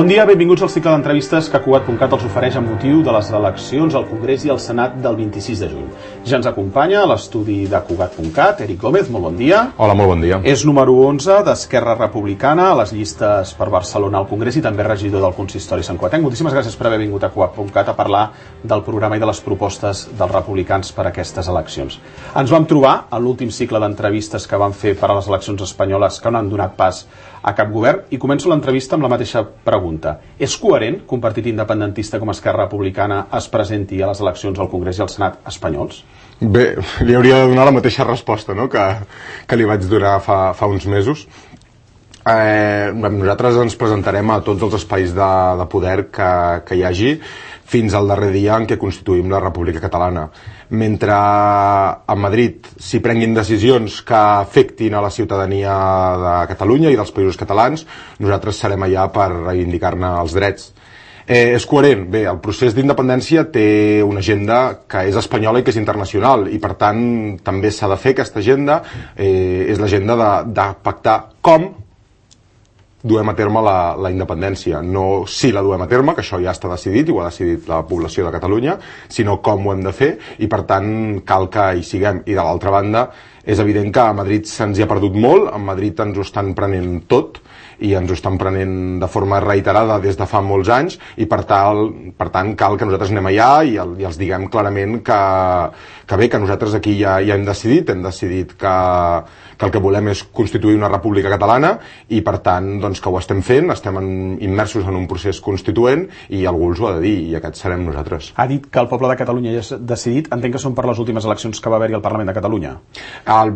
Bon dia, benvinguts al cicle d'entrevistes que Cugat.cat els ofereix amb motiu de les eleccions al Congrés i al Senat del 26 de juny. Ja ens acompanya a l'estudi de Cugat.cat, Eric Gómez, molt bon dia. Hola, molt bon dia. És número 11 d'Esquerra Republicana a les llistes per Barcelona al Congrés i també regidor del Consistori Sant Cugatenc. Moltíssimes gràcies per haver vingut a Cugat.cat a parlar del programa i de les propostes dels republicans per a aquestes eleccions. Ens vam trobar a l'últim cicle d'entrevistes que van fer per a les eleccions espanyoles que no han donat pas a cap govern i començo l'entrevista amb la mateixa pregunta. És coherent que un partit independentista com Esquerra Republicana es presenti a les eleccions al Congrés i al Senat espanyols? Bé, li hauria de donar la mateixa resposta, no?, que li vaig donar fa uns mesos. Nosaltres ens presentarem a tots els espais de poder que hi hagi fins al darrer dia en què constituïm la República Catalana. Mentre a Madrid s'hi prenguin decisions que afectin a la ciutadania de Catalunya i dels països catalans, nosaltres serem allà per reivindicar-ne els drets. És coherent? Bé, el procés d'independència té una agenda que és espanyola i que és internacional i per tant també s'ha de fer aquesta agenda, és l'agenda de pactar com duem a terme la independència, no si la duem a terme, que això ja està decidit i ho ha decidit la població de Catalunya, sinó com ho hem de fer i per tant cal que hi siguem. I de l'altra banda, és evident que a Madrid se'ns hi ha perdut molt, a Madrid ens ho estan prenent tot i ens ho estan prenent de forma reiterada des de fa molts anys i per tant cal que nosaltres anem allà i els diguem clarament que bé, que nosaltres aquí ja hem decidit que el que volem és constituir una república catalana i per tant doncs, que ho estem fent, estem immersos en un procés constituent i algú els ho ha de dir i aquests serem nosaltres. Ha dit que el poble de Catalunya ja ha decidit, entenc que són per les últimes eleccions que va haver-hi al Parlament de Catalunya. El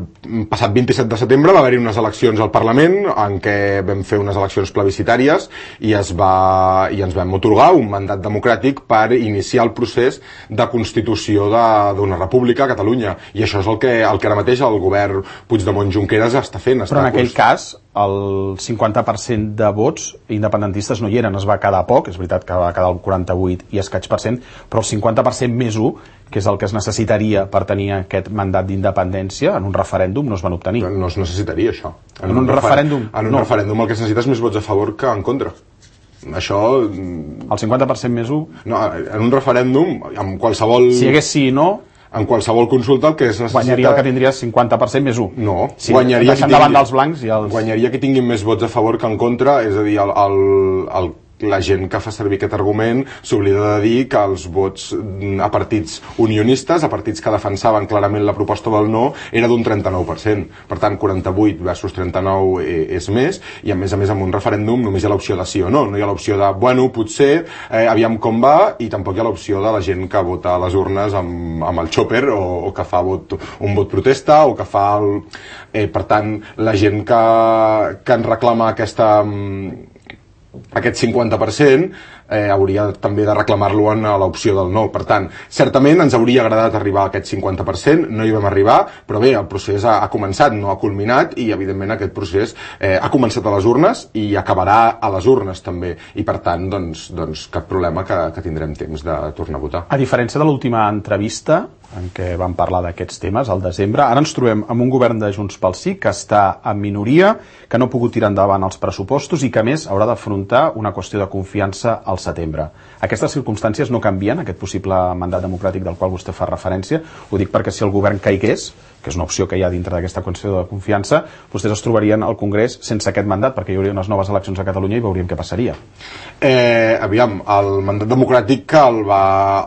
passat 27 de setembre va haver-hi unes eleccions al Parlament en què vam fer unes eleccions plebiscitàries i ens vam atorgar un mandat democràtic per iniciar el procés de constitució d'una república a Catalunya i això és el que ara mateix el govern Puigdemont-Junqueras està fent. Però en aquell cas el 50% de vots independentistes no hi eren, es va quedar poc, és veritat que va quedar el 48 i escaig per cent, però el 50% més 1, que és el que es necessitaria per tenir aquest mandat d'independència, en un referèndum no es van obtenir. No es necessitaria això. En un referèndum? En un referèndum el que es necessita és més vots a favor que en contra. Això... El 50% més 1? No, en un referèndum, amb qualsevol... Si hi hagués sí i no... En qualsevol consulta el que es necessita... Guanyaria el que tindria 50% més 1. No, sí, guanyaria deixant davant dels blancs i els... Guanyaria que tinguin més vots a favor que en contra, és a dir, la gent que fa servir aquest argument s'oblida de dir que els vots a partits unionistes, a partits que defensaven clarament la proposta del no, era d'un 39%. Per tant, 48 versus 39 és més, i a més amb un referèndum només hi ha l'opció de sí o no. No hi ha l'opció de, bueno, potser, aviam com va, i tampoc hi ha l'opció de la gent que vota a les urnes amb el xòper o que fa un vot protesta o que fa el... Per tant, la gent que en reclama aquest 50% hauria també de reclamar-lo en l'opció del no. Per tant, certament ens hauria agradat arribar a aquest 50%, no hi vam arribar, però bé, el procés ha començat, no ha culminat, i evidentment aquest procés ha començat a les urnes i acabarà a les urnes també, i per tant, doncs cap problema que tindrem temps de tornar a votar. A diferència de l'última entrevista en què vam parlar d'aquests temes al desembre, ara ens trobem amb un govern de Junts pel Sí que està en minoria, que no ha pogut tirar endavant els pressupostos i que a més haurà d'afrontar una qüestió de confiança al setembre. Aquestes circumstàncies no canvien aquest possible mandat democràtic del qual vostè fa referència. Ho dic perquè si el govern caigués, que és una opció que hi ha dintre d'aquesta qüestió de confiança, vostès es trobarien al Congrés sense aquest mandat, perquè hi hauria unes noves eleccions a Catalunya i veuríem què passaria. Aviam, el mandat democràtic que el va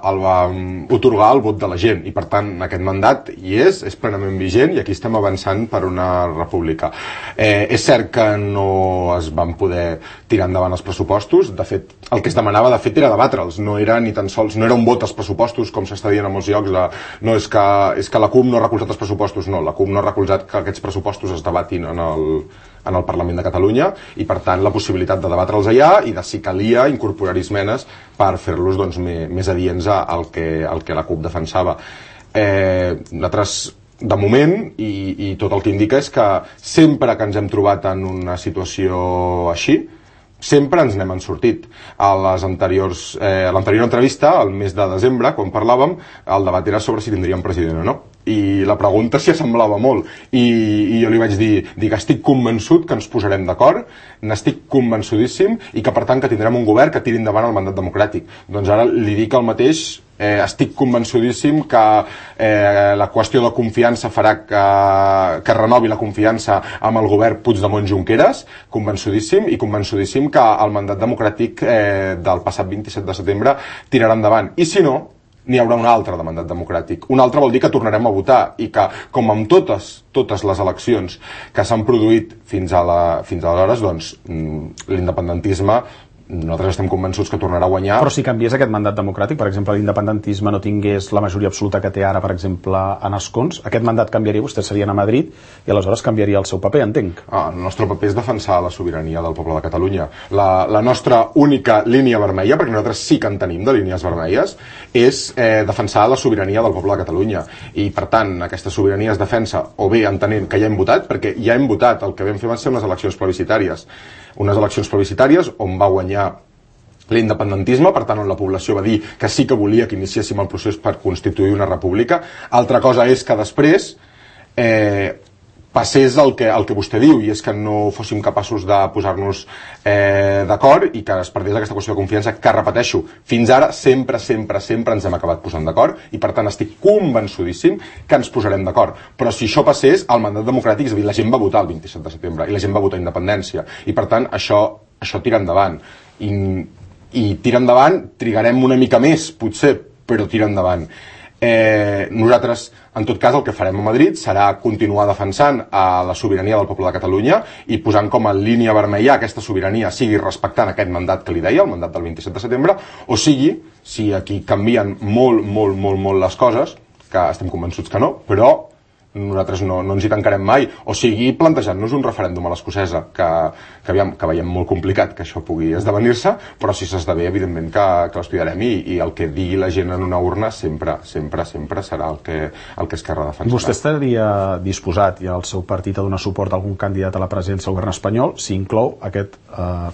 otorgar el vot de la gent, i per tant aquest mandat hi és plenament vigent i aquí estem avançant per una república. És cert que no es van poder tirar endavant els pressupostos, de fet el que es demanava de fet era debatre'ls, no era ni tan sols, no era un vot als pressupostos com s'està dient a molts llocs, no és que la CUP no ha recolzat els pressupostos, no, la CUP no ha recolzat que aquests pressupostos es debatin en el Parlament de Catalunya i per tant la possibilitat de debatre'ls allà i de si calia incorporar esmenes per fer-los més adients al que la CUP defensava. Nosaltres de moment, i tot el que indica és que sempre que ens hem trobat en una situació així, sempre ens n'hem sortit. A l'anterior entrevista, al mes de desembre, quan parlàvem, el debat era sobre si tindríem president o no. i la pregunta s'hi assemblava molt i jo li vaig dir que estic convençut que ens posarem d'acord, n'estic convençudíssim i que per tant que tindrem un govern que tiri endavant el mandat democràtic. Doncs ara li dic el mateix, estic convençudíssim que la qüestió de confiança farà que renovi la confiança amb el govern Puigdemont-Junqueras, convençudíssim, i convençudíssim que el mandat democràtic del passat 27 de setembre tirarà endavant. I si no, n'hi haurà un altre de mandat democràtic. Un altre vol dir que tornarem a votar i que, com amb totes les eleccions que s'han produït fins aleshores, doncs l'independentisme nosaltres estem convençuts que tornarà a guanyar. Però si canviés aquest mandat democràtic, per exemple, l'independentisme no tingués la majoria absoluta que té ara, per exemple, en escons, aquest mandat canviaria, vostès serien a Madrid i aleshores canviaria el seu paper, entenc. El nostre paper és defensar la sobirania del poble de Catalunya. La nostra única línia vermella, perquè nosaltres sí que en tenim de línies vermelles, és defensar la sobirania del poble de Catalunya. I, per tant, aquesta sobirania es defensa o bé entenent que ja hem votat, perquè ja hem votat, el que vam fer van ser unes eleccions plebiscitàries. Unes eleccions plebiscitàries on va guanyar l'independentisme, per tant on la població va dir que sí que volia que iniciéssim el procés per constituir una república. Altra cosa és que després passés el que vostè diu, i és que no fóssim capaços de posar-nos d'acord i que es perdés aquesta qüestió de confiança, que repeteixo, fins ara sempre ens hem acabat posant d'acord i per tant estic convençudíssim que ens posarem d'acord. Però si això passés, el mandat democràtic, és a dir, la gent va votar el 27 de setembre i la gent va votar independència i per tant això tira endavant i tira endavant, trigarem una mica més potser, però tira endavant. Nosaltres, en tot cas, el que farem a Madrid serà continuar defensant la sobirania del poble de Catalunya i posant com a línia vermella aquesta sobirania, sigui respectant aquest mandat que li deia, el mandat del 27 de setembre, o sigui, si aquí canvien molt les coses, que estem convençuts que no, però nosaltres no ens hi tancarem mai, o sigui, plantejant-nos un referèndum a l'escocesa, que veiem molt complicat que això pugui esdevenir-se, però si s'esdevé, evidentment que l'estudiarem i el que digui la gent en una urna sempre serà el que Esquerra defensarà. Vostè estaria disposat i el seu partit a donar suport a algun candidat a la presidència del govern espanyol si inclou aquest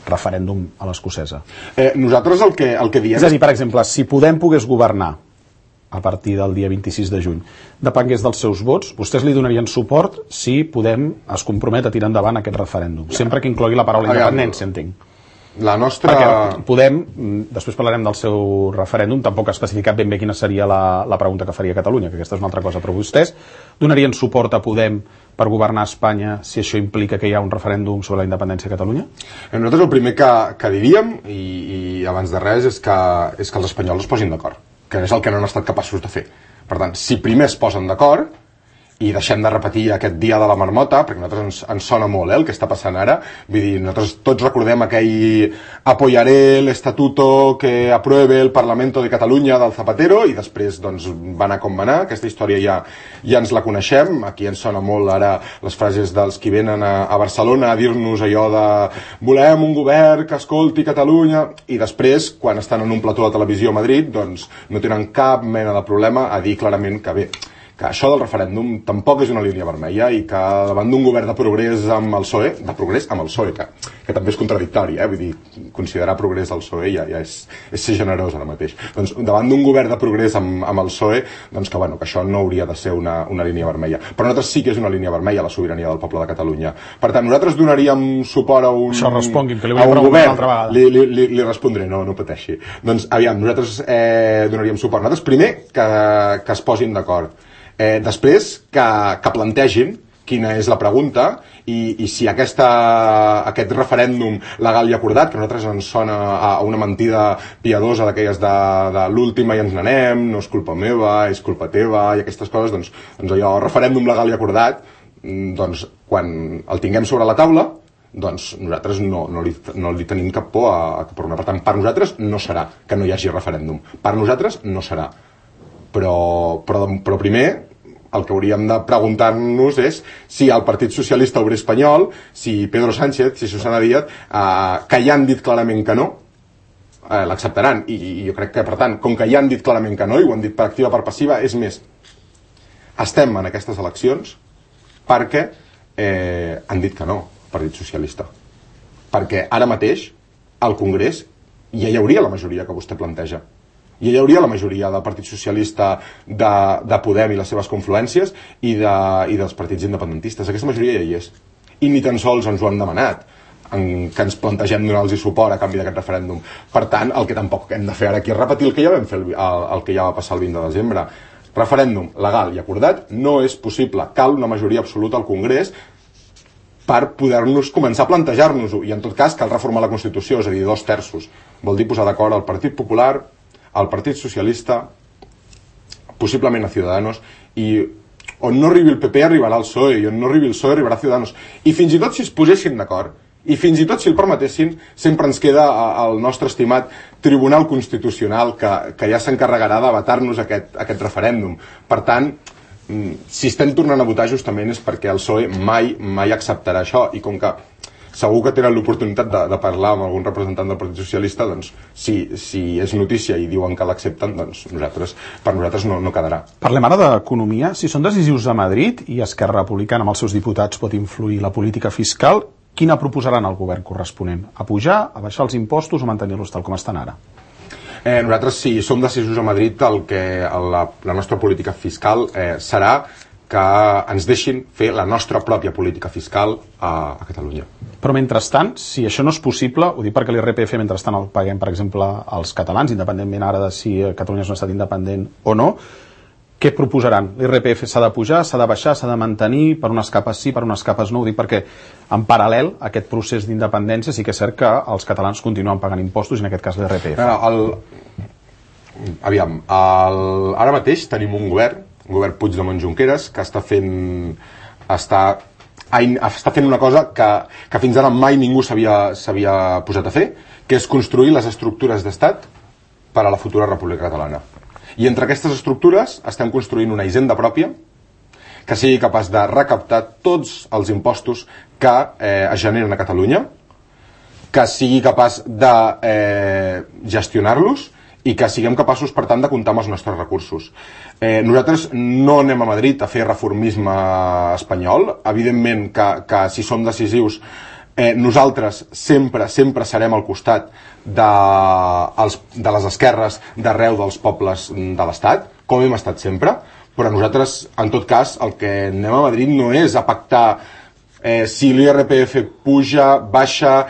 referèndum a l'escocesa? Nosaltres el que diem... És a dir, per exemple, si Podem pogués governar a partir del dia 26 de juny, depengués dels seus vots, vostès li donarien suport si Podem es compromet a tirar endavant aquest referèndum, sempre que inclogui la paraula independència, entenc. La nostra... Perquè Podem, després parlarem del seu referèndum, tampoc ha especificat ben bé quina seria la pregunta que faria Catalunya, que aquesta és una altra cosa, però vostès donarien suport a Podem per governar Espanya si això implica que hi ha un referèndum sobre la independència de Catalunya? Nosaltres el primer que diríem, i abans de res, és que els espanyols es posin d'acord, que és el que no han estat capaços de fer. Per tant, si primer es posen d'acord i deixem de repetir aquest dia de la marmota, perquè a nosaltres ens sona molt el que està passant ara, vull dir, nosaltres tots recordem aquell apoyaré l'estatuto que apruebe el Parlamento de Catalunya del Zapatero i després doncs va anar com va anar, aquesta història ja ens la coneixem, aquí ens sona molt ara les frases dels qui venen a Barcelona a dir-nos allò de volem un govern que escolti Catalunya i després, quan estan en un plató de televisió a Madrid, doncs no tenen cap mena de problema a dir clarament que bé, que això del referèndum tampoc és una línia vermella i que davant d'un govern de progrés amb el PSOE, que també és contradictori, vull dir, considerar progrés al PSOE ja és ser generós ara mateix. Doncs davant d'un govern de progrés amb el PSOE, doncs que això no hauria de ser una línia vermella. Però nosaltres sí que és una línia vermella la sobirania del poble de Catalunya. Per tant, nosaltres donaríem suport a un... Això respongui'm, que li vull preguntar una altra vegada. Li respondré, no pateixi. Doncs, aviam, nosaltres donaríem suport. Nosaltres primer que es posin d'acord. Després que plantegin quina és la pregunta i si aquest referèndum legal i acordat, que a nosaltres ens sona a una mentida piadosa d'aquelles de l'última i ens n'anem, no és culpa meva, és culpa teva i aquestes coses, doncs allò, referèndum legal i acordat, doncs quan el tinguem sobre la taula, doncs nosaltres no li tenim cap por a tornar. Per tant, per nosaltres no serà que no hi hagi referèndum. Per nosaltres no serà. Però primer el que hauríem de preguntar-nos és si el Partit Socialista Obrer Espanyol, si Pedro Sánchez, si Susana Díaz, que ja han dit clarament que no, l'acceptaran. I jo crec que, per tant, com que ja han dit clarament que no, i ho han dit per activa per passiva, és més, estem en aquestes eleccions perquè han dit que no, Partit Socialista. Perquè ara mateix, al Congrés, ja hi hauria la majoria que vostè planteja. I hi hauria la majoria del Partit Socialista, de Podem i les seves confluències i dels partits independentistes. Aquesta majoria ja hi és. I ni tan sols ens ho han demanat, que ens plantegem donar-los suport a canvi d'aquest referèndum. Per tant, el que tampoc hem de fer ara aquí és repetir el que ja vam fer, el que ja va passar el 20 de desembre. Referèndum legal i acordat no és possible. Cal una majoria absoluta al Congrés per poder-nos començar a plantejar-nos-ho. I en tot cas cal reformar la Constitució, és a dir, 2/3. Vol dir posar d'acord el Partit Popular, el Partit Socialista, possiblement a Ciudadanos, i on no arribi el PP arribarà el PSOE, i on no arribi el PSOE arribarà Ciudadanos. I fins i tot si es posessin d'acord, i fins i tot si el permetessin, sempre ens queda el nostre estimat Tribunal Constitucional que ja s'encarregarà de vetar-nos aquest referèndum. Per tant, si estem tornant a votar justament és perquè el PSOE mai acceptarà això, i com que segur que tenen l'oportunitat de parlar amb algun representant del Partit Socialista, doncs si és notícia i diuen que l'accepten, doncs per nosaltres no quedarà. Parlem ara d'economia. Si són decisius a Madrid i Esquerra Republicana amb els seus diputats pot influir la política fiscal, quina proposaran al govern corresponent? A pujar, a baixar els impostos o mantenir-los tal com estan ara? Nosaltres, si som decisius a Madrid, la nostra política fiscal serà que ens deixin fer la nostra pròpia política fiscal a Catalunya. Però mentrestant, si això no és possible, ho dic perquè l'IRPF mentrestant el paguem, per exemple, als catalans, independentment ara de si Catalunya és un estat independent o no, què proposaran? L'IRPF s'ha de pujar, s'ha de baixar, s'ha de mantenir, per unes capes sí, per unes capes no? Ho dic perquè, en paral·lel a aquest procés d'independència, sí que és cert que els catalans continuen pagant impostos, i en aquest cas l'IRPF. Ara mateix tenim un govern Puigdemont-Junqueras, que està fent una cosa que fins ara mai ningú s'havia posat a fer, que és construir les estructures d'estat per a la futura República Catalana. I entre aquestes estructures estem construint una hisenda pròpia que sigui capaç de recaptar tots els impostos que es generen a Catalunya, que sigui capaç de gestionar-los i que siguem capaços, per tant, de comptar amb els nostres recursos. Nosaltres no anem a Madrid a fer reformisme espanyol. Evidentment que si som decisius, nosaltres sempre serem al costat de les esquerres d'arreu dels pobles de l'Estat, com hem estat sempre, però nosaltres, en tot cas, el que anem a Madrid no és a pactar si l'IRPF puja, baixa...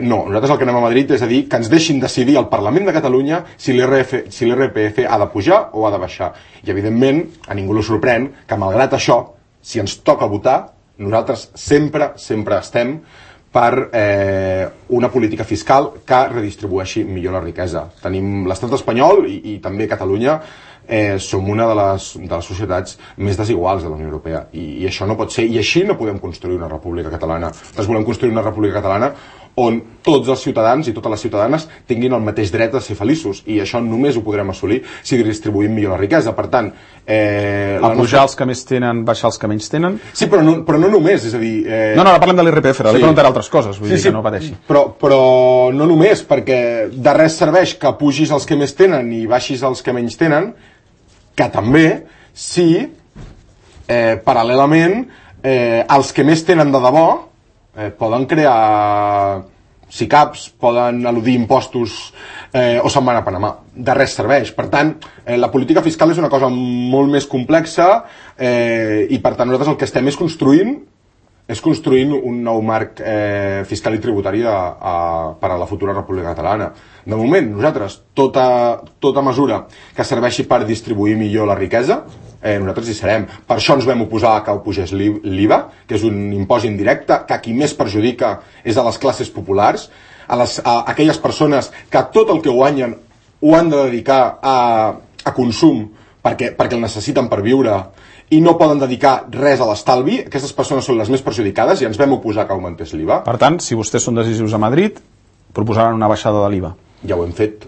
No, nosaltres el que anem a Madrid és a dir que ens deixin decidir al Parlament de Catalunya si l'IRPF ha de pujar o ha de baixar. I, evidentment, a ningú li sorprèn que, malgrat això, si ens toca votar, nosaltres sempre estem per una política fiscal que redistribueixi millor la riquesa. Tenim l'estat espanyol i també Catalunya som una de les societats més desiguals de la Unió Europea, i això no pot ser, i així no podem construir una república catalana. Nosaltres volem construir una república catalana on tots els ciutadans i totes les ciutadanes tinguin el mateix dret a ser feliços, i això només ho podrem assolir si distribuïm millor la riquesa. Per tant, pujar els que més tenen, baixar els que menys tenen? Sí, però no només, és a dir... No, ara parlem de l'IRPF, li preguntaré altres coses, vull dir que no pateixi. Però no només, perquè de res serveix que pugis els que més tenen i baixis els que menys tenen, que també si paral·lelament els que més tenen de debò poden crear SICAPs, poden eludir impostos o se'n van a Panamà. De res serveix. Per tant, la política fiscal és una cosa molt més complexa, i per tant nosaltres el que estem és construint un nou marc fiscal i tributari per a la futura República Catalana. De moment, nosaltres, tota mesura que serveixi per distribuir millor la riquesa, nosaltres hi serem. Per això ens vam oposar que ho pugés l'IVA, que és un impost indirecte que qui més perjudica és a les classes populars, a aquelles persones que tot el que guanyen ho han de dedicar a consum perquè el necessiten per viure i no poden dedicar res a l'estalvi. Aquestes persones són les més perjudicades i ens vam oposar que augmentés l'IVA. Per tant, si vostès són decisius a Madrid, proposaran una baixada de l'IVA. Ja ho hem fet,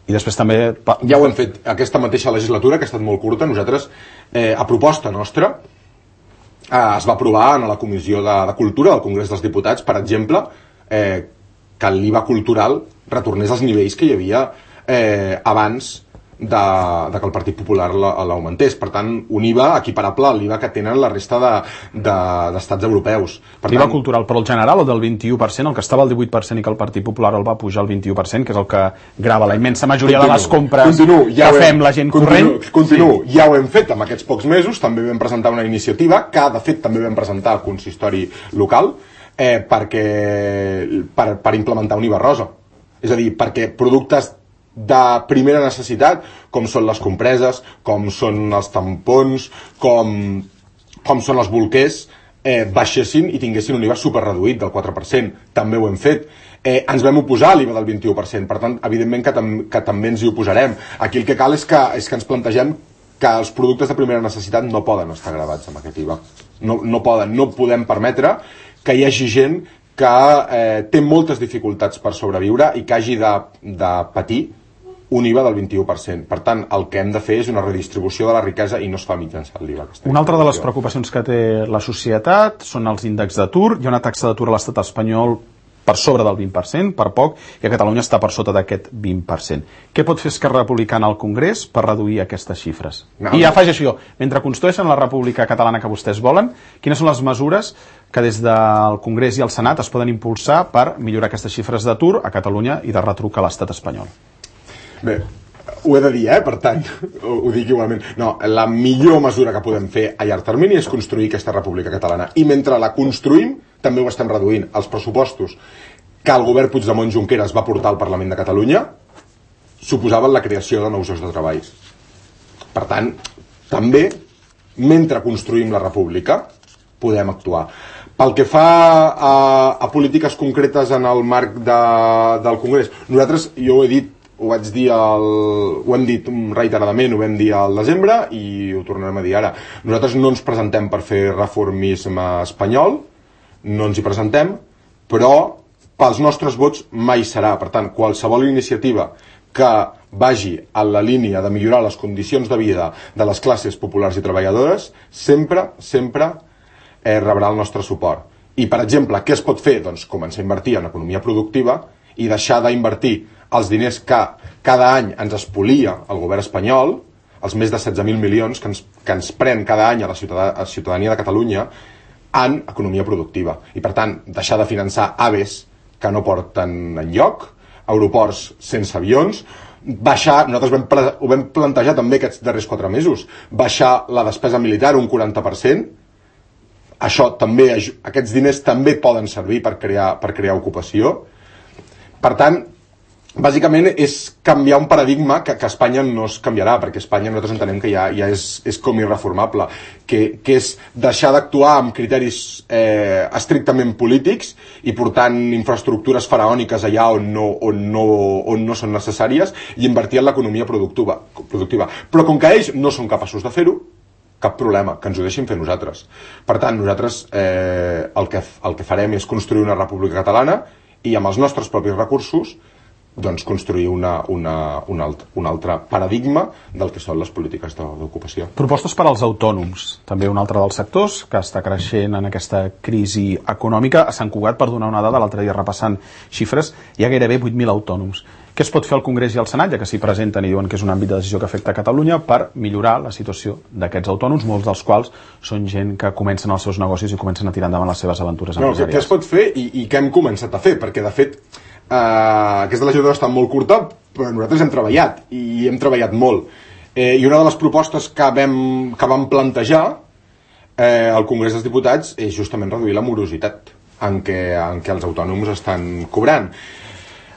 I després també... Ja ho hem fet aquesta mateixa legislatura, que ha estat molt curta. Nosaltres, a proposta nostra, es va aprovar a la Comissió de Cultura del Congrés dels Diputats, per exemple, que l'IVA cultural retornés als nivells que hi havia abans de que el Partit Popular l'augmentés. Per tant, un IVA equiparable a l'IVA que tenen la resta d'estats europeus. L'IVA cultural, però el general, el del 21%, el que estava al 18% i que el Partit Popular el va pujar al 21%, que és el que grava la immensa majoria de les compres que fem la gent corrent. Ja ho hem fet amb aquests pocs mesos, també vam presentar una iniciativa, que de fet també vam presentar al consistori local, per implementar un IVA rosa. És a dir, perquè productes de primera necessitat, com són les compreses, com són els tampons, com són els bolquers, baixessin i tinguessin un IVA superreduït del 4%. També ho hem fet. Ens vam oposar a l'IVA del 21%, per tant, evidentment que també ens hi oposarem. Aquí el que cal és que ens plantegem que els productes de primera necessitat no poden estar gravats amb aquest IVA. No podem permetre que hi hagi gent que té moltes dificultats per sobreviure i que hagi de patir un IVA del 21%. Per tant, el que hem de fer és una redistribució de la riquesa i no es fa mitjançant l'IVA. Una altra de les preocupacions que té la societat són els índexs d'atur. Hi ha una taxa d'atur a l'estat espanyol per sobre del 20%, per poc, i a Catalunya està per sota d'aquest 20%. Què pot fer Esquerra Republicana al Congrés per reduir aquestes xifres? I afegeixo jo, mentre construeixen la república catalana que vostès volen, quines són les mesures que des del Congrés i el Senat es poden impulsar per millorar aquestes xifres d'atur a Catalunya i de retruc a l'estat espanyol? Bé, ho he de dir, per tant, ho dic igualment. No, la millor mesura que podem fer a llarg termini és construir aquesta república catalana. I mentre la construïm, també ho estem reduint. Els pressupostos que el govern Puigdemont-Junqueras va portar al Parlament de Catalunya suposaven la creació de nous llocs de treball. Per tant, també, mentre construïm la república, podem actuar. Pel que fa a polítiques concretes en el marc del Congrés, nosaltres, jo ho he dit, ho hem dit reiteradament, ho vam dir al desembre i ho tornarem a dir ara. Nosaltres no ens presentem per fer reformisme espanyol, no ens hi presentem, però pels nostres vots mai serà. Per tant, qualsevol iniciativa que vagi a la línia de millorar les condicions de vida de les classes populars i treballadores sempre rebrà el nostre suport. I, per exemple, què es pot fer? Doncs començar a invertir en economia productiva i deixar d'invertir els diners que cada any ens espolia el govern espanyol, els més de 16.000 milions que ens pren cada any a la ciutadania de Catalunya, en economia productiva. I, per tant, deixar de finançar AVEs que no porten enlloc, aeroports sense avions, nosaltres ho vam plantejar també aquests darrers 4 mesos, baixar la despesa militar un 40%, aquests diners també poden servir per crear ocupació. Per tant, bàsicament és canviar un paradigma que a Espanya no es canviarà, perquè a Espanya nosaltres entenem que ja és com irreformable, que és deixar d'actuar amb criteris estrictament polítics i portant infraestructures faraòniques allà on no són necessàries i invertir en l'economia productiva. Però com que ells no són capaços de fer-ho, cap problema, que ens ho deixin fer nosaltres. Per tant, nosaltres el que farem és construir una república catalana i amb els nostres propis recursos doncs construir un altre paradigma del que són les polítiques d'ocupació. Propostes per als autònoms, també un altre dels sectors que està creixent en aquesta crisi econòmica. A Sant Cugat, per donar una dada, l'altre dia repassant xifres, hi ha gairebé 8.000 autònoms. Què es pot fer al Congrés i al Senat, ja que s'hi presenten i diuen que és un àmbit de decisió que afecta a Catalunya, per millorar la situació d'aquests autònoms, molts dels quals són gent que comencen els seus negocis i comencen a tirar endavant les seves aventures empresarials? Què es pot fer i què hem començat a fer? Perquè, de fet, aquesta legislatura està molt curta, però nosaltres hem treballat, i hem treballat molt. I una de les propostes que vam plantejar al Congrés dels Diputats és justament reduir la morositat en què els autònoms estan cobrant.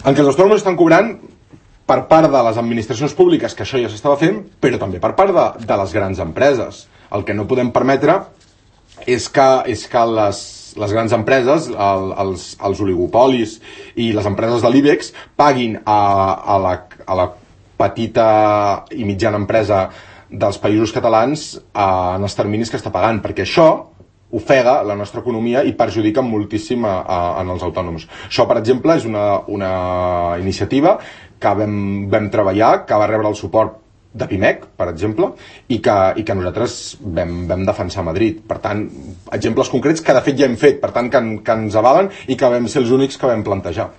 En què els autònoms estan cobrant per part de les administracions públiques, que això ja s'estava fent, però també per part de les grans empreses. El que no podem permetre és que les grans empreses, els oligopolis i les empreses de l'IBEX paguin a la petita i mitjana empresa dels països catalans en els terminis que està pagant, perquè això ofega la nostra economia i perjudica moltíssim en els autònoms. Això, per exemple, és una iniciativa que vam treballar, que va rebre el suport de PIMEC, per exemple, i que nosaltres vam defensar a Madrid. Per tant, exemples concrets que de fet ja hem fet, per tant que ens avalen i que vam ser els únics que vam plantejar.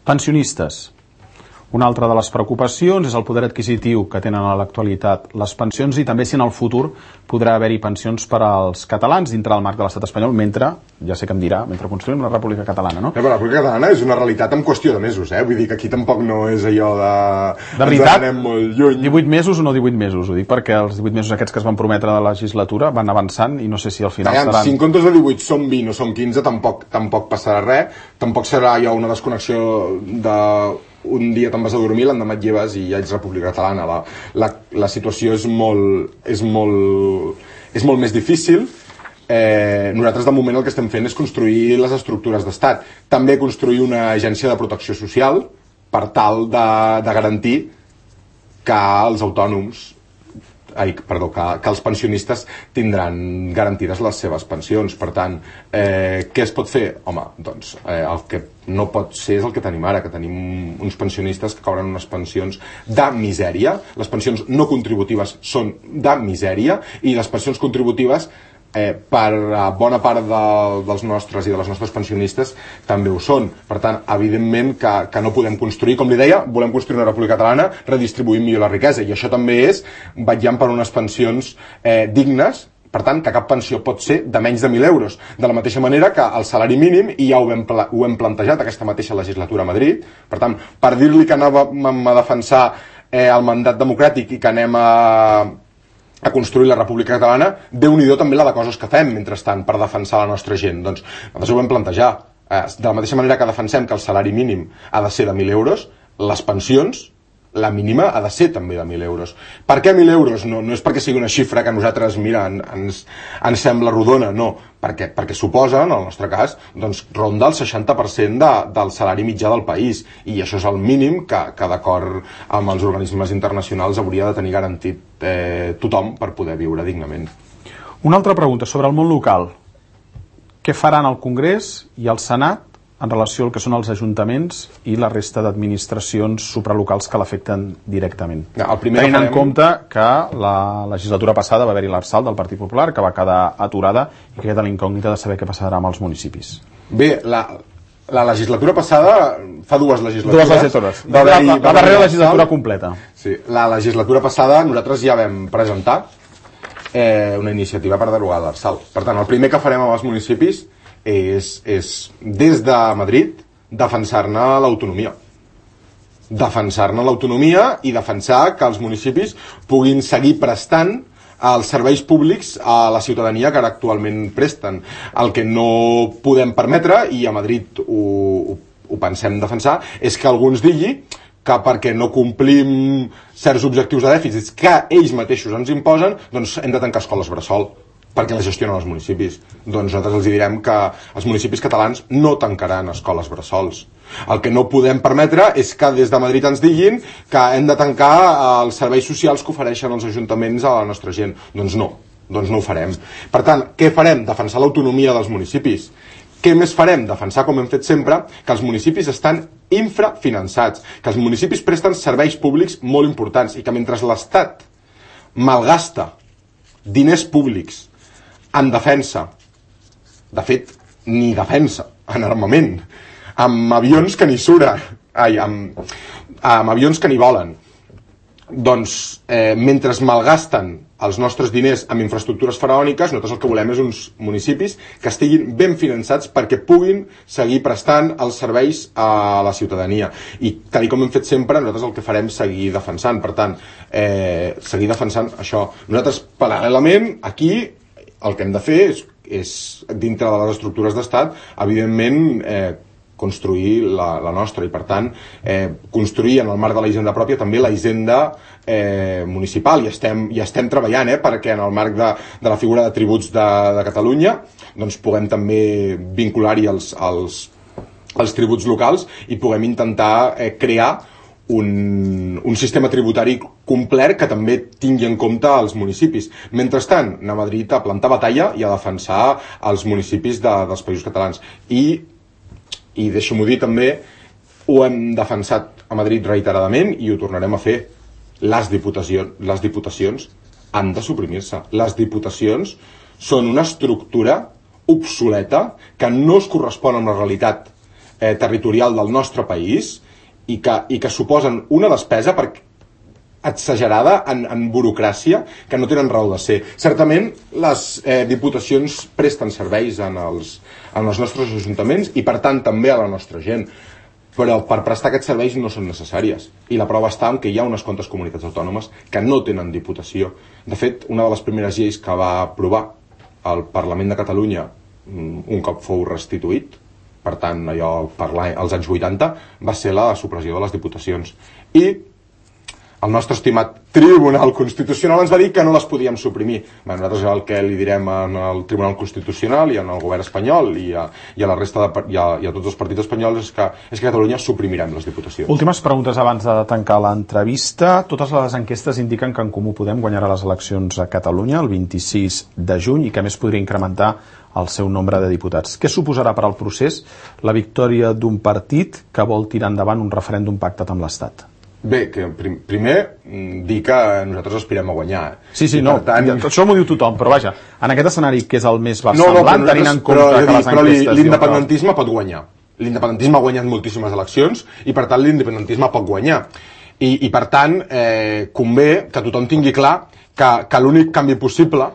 Pensionistes. Una altra de les preocupacions és el poder adquisitiu que tenen a l'actualitat les pensions i també si en el futur podrà haver-hi pensions per als catalans dintre del marc de l'estat espanyol mentre, ja sé que em dirà, mentre construïm la República Catalana, no? Però la República Catalana és una realitat en qüestió de mesos, Vull dir que aquí tampoc no és allò de... De veritat, anem molt lluny. 18 mesos o no 18 mesos? Ho dic perquè els 18 mesos aquests que es van prometre de la legislatura van avançant i no sé si al final seran... Si en comptes de 18 són 20 o són 15 tampoc passarà res, tampoc serà ja una desconnexió de... un dia te'n vas a dormir, l'endemà et lleves i ja ets República Catalana. La situació és molt més difícil. Nosaltres de moment el que estem fent és construir les estructures d'estat, també construir una agència de protecció social per tal de garantir que els autònoms que els pensionistes tindran garantides les seves pensions. Per tant, què es pot fer? Home, doncs el que no pot ser és el que tenim ara, que tenim uns pensionistes que cobren unes pensions de misèria. Les pensions no contributives són de misèria i les pensions contributives per bona part dels nostres i de les nostres pensionistes també ho són. Per tant, evidentment que no podem construir, com li deia, volem construir una República Catalana redistribuint millor la riquesa, i això també és vetllant per unes pensions dignes. Per tant, que cap pensió pot ser de menys de 1.000 euros. De la mateixa manera que el salari mínim, i ja ho hem plantejat aquesta mateixa legislatura a Madrid, per tant, per dir-li que anàvem a defensar el mandat democràtic i que anem a construir la República Catalana, Déu-n'hi-do també la de coses que fem mentrestant per defensar la nostra gent. Doncs nosaltres ho vam plantejar. De la mateixa manera que defensem que el salari mínim ha de ser de 1.000 euros, les pensions, la mínima ha de ser també de 1.000 euros. Per què 1.000 euros? No és perquè sigui una xifra que a nosaltres, mira, ens sembla rodona, no. Perquè suposa, en el nostre cas, doncs, ronda el 60% del salari mitjà del país. I això és el mínim que d'acord amb els organismes internacionals hauria de tenir garantit tothom per poder viure dignament. Una altra pregunta sobre el món local. Què faran el Congrés i el Senat en relació al que són els ajuntaments i la resta d'administracions supralocals que l'afecten directament? Tenint en compte que la legislatura passada va haver-hi l'Arsal del Partit Popular, que va quedar aturada i que queda l'incògnita de saber què passarà amb els municipis. Bé, la legislatura passada, fa dues legislatures. La darrera legislatura completa. Sí, la legislatura passada nosaltres ja vam presentar una iniciativa per derogar l'Arsal. Per tant, el primer que farem amb els municipis és des de Madrid defensar-ne l'autonomia. Defensar-ne l'autonomia i defensar que els municipis puguin seguir prestant els serveis públics a la ciutadania que ara actualment presten. El que no podem permetre, i a Madrid ho pensem defensar, és que algú ens digui que perquè no complim certs objectius de dèficit que ells mateixos ens imposen, doncs hem de tancar escoles bressol, perquè les gestionen els municipis. Doncs nosaltres els direm que els municipis catalans no tancaran escoles bressols. El que no podem permetre és que des de Madrid ens diguin que hem de tancar els serveis socials que ofereixen els ajuntaments a la nostra gent. Doncs no ho farem. Per tant, què farem? Defensar l'autonomia dels municipis. Què més farem? Defensar, com hem fet sempre, que els municipis estan infrafinançats, que els municipis presten serveis públics molt importants i que mentre l'Estat malgasta diners públics en defensa, de fet, ni defensa, en armament, amb avions que ni suren, amb avions que ni volen, doncs, mentre malgasten els nostres diners amb infraestructures faraòniques, nosaltres el que volem és uns municipis que estiguin ben finançats perquè puguin seguir prestant els serveis a la ciutadania. I tal com hem fet sempre, nosaltres el que farem és seguir defensant. Per tant, seguir defensant això. Nosaltres, paral·lelament, aquí el que hem de fer és dintre de les estructures d'estat, evidentment, construir la nostra i, per tant, construir en el marc de la hisenda pròpia també la hisenda municipal. I estem treballant perquè en el marc de la figura de tributs de Catalunya doncs puguem també vincular-hi els tributs locals i puguem intentar crear un sistema tributari complet que també tingui en compte els municipis. Mentrestant, anar a Madrid a plantar batalla i a defensar els municipis dels països catalans. I deixo-m'ho dir també, ho hem defensat a Madrid reiteradament i ho tornarem a fer. Les diputacions han de suprimir-se. Les diputacions són una estructura obsoleta que no es correspon amb la realitat territorial del nostre país i que suposen una despesa exagerada en burocràcia que no tenen raó de ser. Certament les diputacions presten serveis en els nostres ajuntaments i per tant també a la nostra gent, però per prestar aquests serveis no són necessàries, i la prova està en que hi ha unes quantes comunitats autònomes que no tenen diputació. De fet, una de les primeres lleis que va aprovar el Parlament de Catalunya un cop fou restituït, per tant allò als anys 80, va ser la supressió de les diputacions, i el nostre estimat Tribunal Constitucional ens va dir que no les podíem suprimir. Nosaltres el que li direm al Tribunal Constitucional i al govern espanyol i a la resta i a tots els partits espanyols és que a Catalunya suprimirem les diputacions. Últimes preguntes abans de tancar l'entrevista. Totes les enquestes indiquen que En Comú Podem guanyarà les eleccions a Catalunya el 26 de juny i que a més podria incrementar el seu nombre de diputats. Què suposarà per al procés la victòria d'un partit que vol tirar endavant un referèndum pactat amb l'Estat? Bé, que primer dir que nosaltres aspirem a guanyar. Sí, no, això m'ho diu tothom, però vaja, en aquest escenari que és el més versemblant, tenint en compte que les enquestes... Però l'independentisme pot guanyar. L'independentisme ha guanyat moltíssimes eleccions i per tant l'independentisme pot guanyar. I per tant, convé que tothom tingui clar que l'únic canvi possible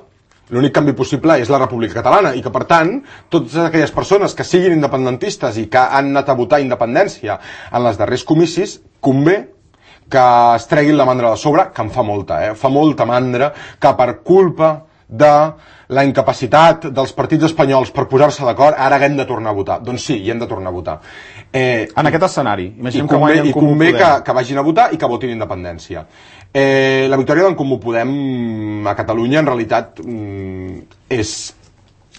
és la República Catalana i que, per tant, totes aquelles persones que siguin independentistes i que han anat a votar independència en les darrers comicis, convé que es treguin la mandra de sobre, que em fa molta, fa molta mandra, que per culpa de la incapacitat dels partits espanyols per posar-se d'acord, ara haguem de tornar a votar. Doncs sí, hi hem de tornar a votar. En aquest escenari, imaginem que guanyen Comú Podem. I convé que vagin a votar i que votin independència. La victòria d'en Comú Podem a Catalunya, en realitat, és,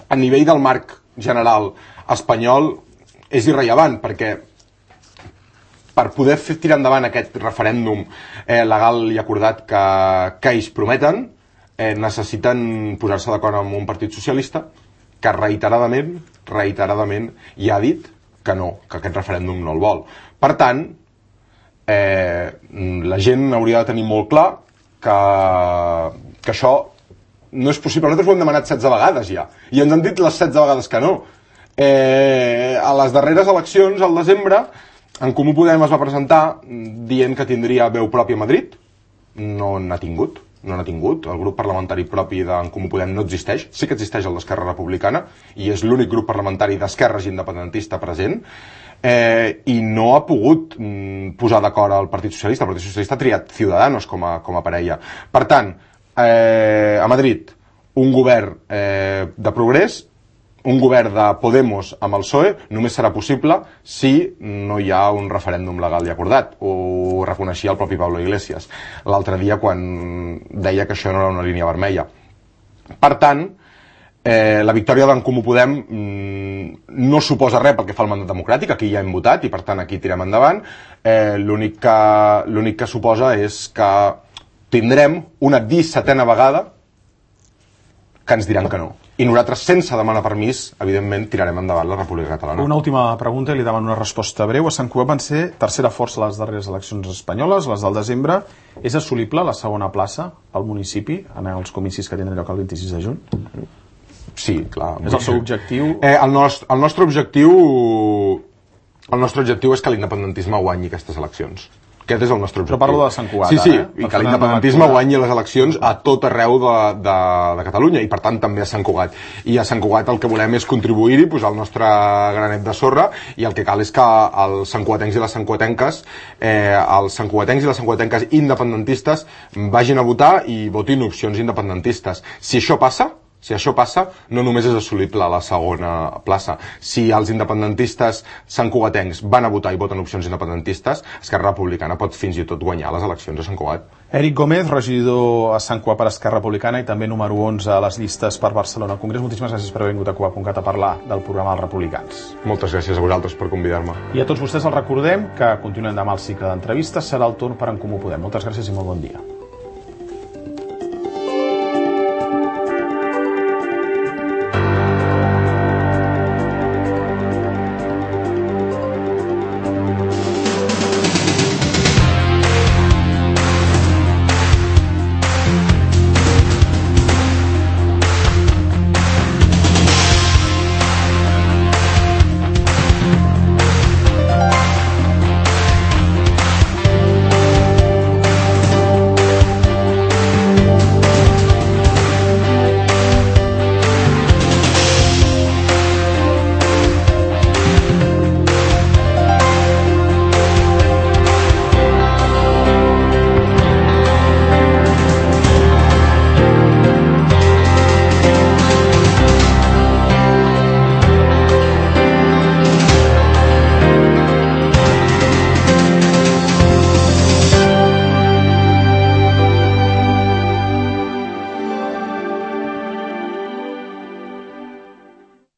a nivell del marc general espanyol, és irrellevant, perquè per poder tirar endavant aquest referèndum legal i acordat que ells prometen, necessiten posar-se d'acord amb un partit socialista que reiteradament ja ha dit que no, que aquest referèndum no el vol. Per tant, la gent hauria de tenir molt clar que això no és possible. Nosaltres ho hem demanat 16 vegades ja, i ens han dit les 16 vegades que no. A les darreres eleccions, al desembre, En Comú Podem es va presentar dient que tindria veu pròpia a Madrid. No n'ha tingut. El grup parlamentari propi d'en Comú Podem no existeix. Sí que existeix el d'Esquerra Republicana i és l'únic grup parlamentari d'esquerres independentista present, i no ha pogut posar d'acord al Partit Socialista. El Partit Socialista ha triat Ciudadanos com a parella. Per tant, a Madrid, un govern de progrés, un govern de Podemos amb el PSOE només serà possible si no hi ha un referèndum legal i acordat. Ho reconeixia el propi Pablo Iglesias l'altre dia quan deia que això no era una línia vermella. Per tant, la victòria d'en Comú Podem no suposa res pel que fa al mandat democràtic. Aquí ja hem votat i per tant aquí tirem endavant. L'únic que suposa és que tindrem una 17a vegada que ens diran que no. I nosaltres, sense demanar permís, evidentment, tirarem endavant la República Catalana. Una última pregunta i li demano una resposta breu. A Sant Cugat van ser tercera força a les darreres eleccions espanyoles, les del desembre. És assolible la segona plaça al municipi en els comicis que tindran lloc el 26 de juny? Sí, clar. És el seu objectiu? El nostre objectiu és que l'independentisme guanyi aquestes eleccions. Aquest és el nostre objectiu. Però parlo de Sant Cugat, Sí, i que l'independentisme guanyi les eleccions a tot arreu de Catalunya i per tant també a Sant Cugat. I a Sant Cugat el que volem és contribuir-hi, posar el nostre granet de sorra, i el que cal és que els santcugatencs i les santcugatenques i les santcugatenques independentistes vagin a votar i votin opcions independentistes. Si això passa, no només és assolible la segona plaça. Si els independentistes santcugatencs van a votar i voten opcions independentistes, Esquerra Republicana pot fins i tot guanyar les eleccions a Sant Cugat. Eric Gómez, regidor a Sant Cugat per Esquerra Republicana i també número 11 a les llistes per Barcelona al Congrés. Moltíssimes gràcies per haver vingut a Cugat.cat a parlar del programa dels Republicans. Moltes gràcies a vosaltres per convidar-me. I a tots vostès els recordem que continuem demà el cicle d'entrevistes. Serà el torn per En Comú Podem. Moltes gràcies i molt bon dia.